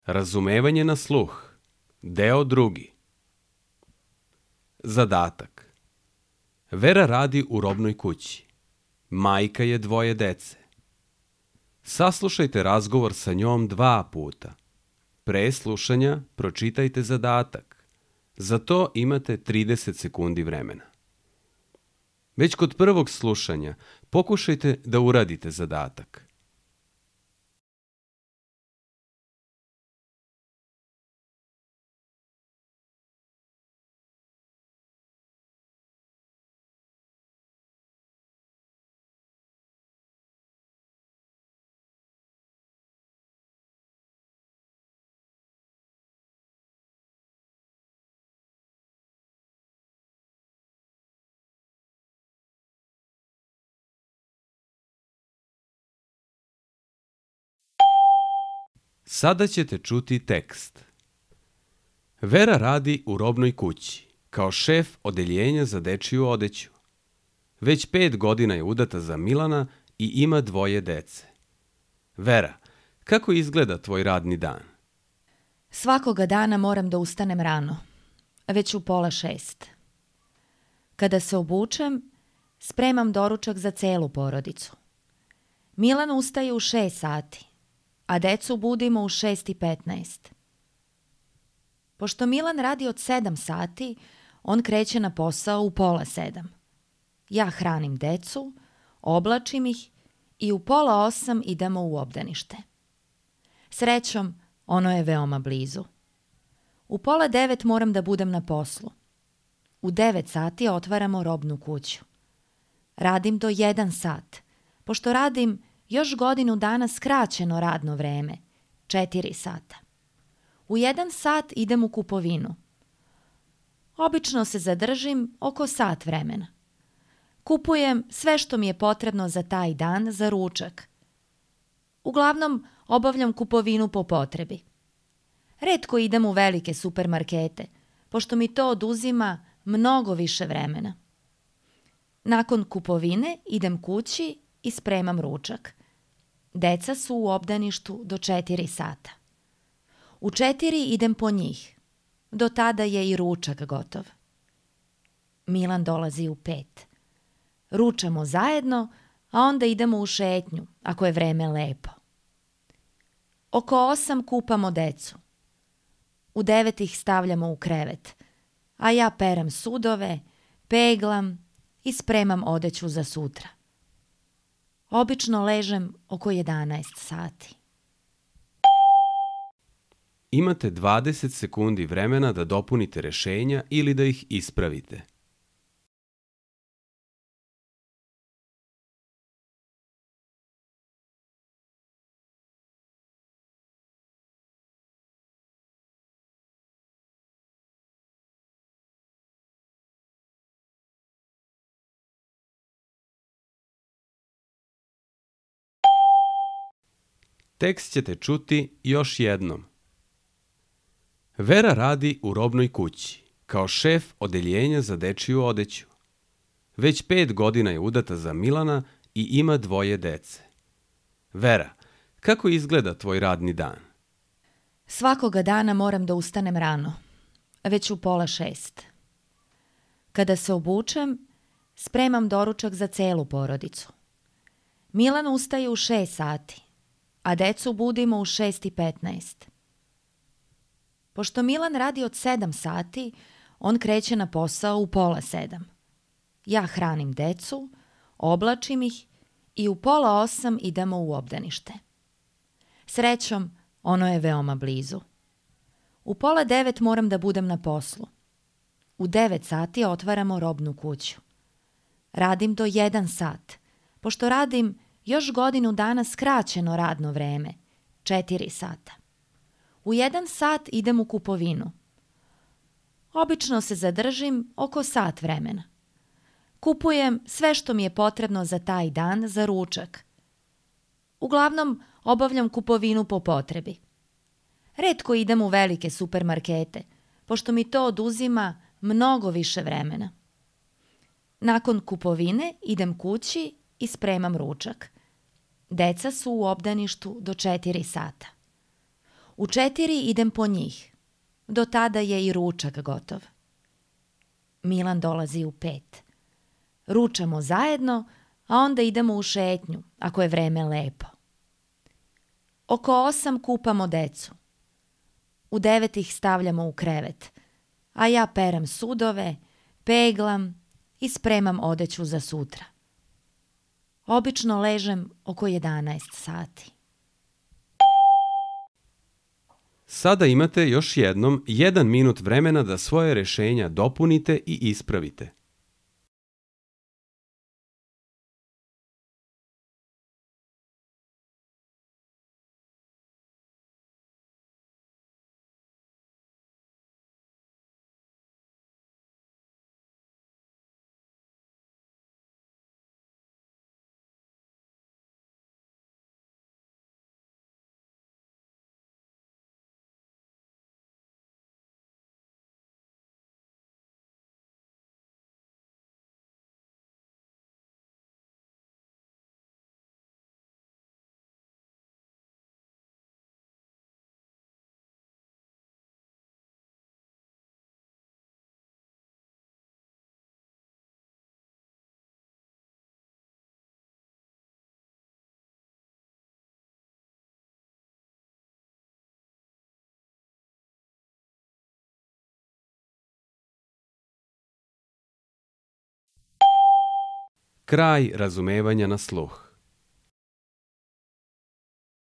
Razumevanje na sluh. Deo 2. Zadatak. Vera radi u robnoj kući. Majka je 2 dece. Saslušajte razgovor sa njom 2 puta. Pre slušanja pročitajte zadatak. Za to imate 30 sekundi vremena. Već kod prvog slušanja pokušajte da uradite zadatak. Sada ćete čuti tekst. Vera radi u robnoj kući, kao šef odeljenja za dečiju odeću. Već 5 godina je udata za Milana i ima 2 dece. Vera, kako izgleda tvoj radni dan? Svakoga dana moram da ustanem rano, već u 5:30. Kada se obučem, spremam doručak za celu porodicu. Milan ustaje u 6 sati, a decu budimo u 6:15. Pošto Milan radi od 7 sati, on kreće na posao u 6:30. Ja hranim decu, oblačim ih i u 7:30 idemo u obdanište. Srećom, ono je veoma blizu. U 8:30 moram da budem na poslu. U 9 sati otvaramo robnu kuću. Radim do 1 sat, pošto radim još godinu dana skraćeno radno vreme, 4 sata. U 1 sat idem u kupovinu. Obično se zadržim oko sat vremena. Kupujem sve što mi je potrebno za taj dan za ručak. Uglavnom, obavljam kupovinu po potrebi. Retko idem u velike supermarkete, pošto mi to oduzima mnogo više vremena. Nakon kupovine idem kući i spremam ručak. Deca su u obdaništu do 4 sata. U 4 idem po njih. Do tada je i ručak gotov. Milan dolazi u 5. Ručamo zajedno, a onda idemo u šetnju, ako je vreme lepo. Oko 8 kupamo decu. U 9 ih stavljamo u krevet, a ja perem sudove, peglam i spremam odeću za sutra. Obično ležem oko 11 sati. Imate 20 sekundi vremena da dopunite rešenja ili da ih ispravite. Tekst ćete čuti još jednom. Vera radi u robnoj kući, kao šef odeljenja za dečiju odeću. Već 5 godina je udata za Milana i ima 2 dece. Vera, kako izgleda tvoj radni dan? Svakoga dana moram da ustanem rano, već u 5:30. Kada se obučem, spremam doručak za celu porodicu. Milan ustaje u 6 sati, a decu budimo u 6:15. Pošto Milan radi od 7 sati, on kreće na posao u 6:30. Ja hranim decu, oblačim ih i u 7:30 idemo u obdanište. Srećom, ono je veoma blizu. U 8:30 moram da budem na poslu. U 9 sati otvaramo robnu kuću. Radim do 1 sat, pošto radim još godinu dana skraćeno radno vreme, 4 sata. U 1 sat idem u kupovinu. Obično se zadržim oko sat vremena. Kupujem sve što mi je potrebno za taj dan za ručak. Uglavnom, obavljam kupovinu po potrebi. Retko idem u velike supermarkete, pošto mi to oduzima mnogo više vremena. Nakon kupovine idem kući i spremam ručak. Deca su u obdaništu do 4 sata. U 4 idem po njih. Do tada je i ručak gotov. Milan dolazi u 5. Ručamo zajedno, a onda idemo u šetnju, ako je vreme lepo. Oko 8 kupamo decu. U 9 ih stavljamo u krevet, a ja perem sudove, peglam i spremam odeću za sutra. Obično ležem oko 11 sati. Sada imate još jednom 1 minut vremena da svoje rešenja dopunite i ispravite. Kraj razumevanja na sluh.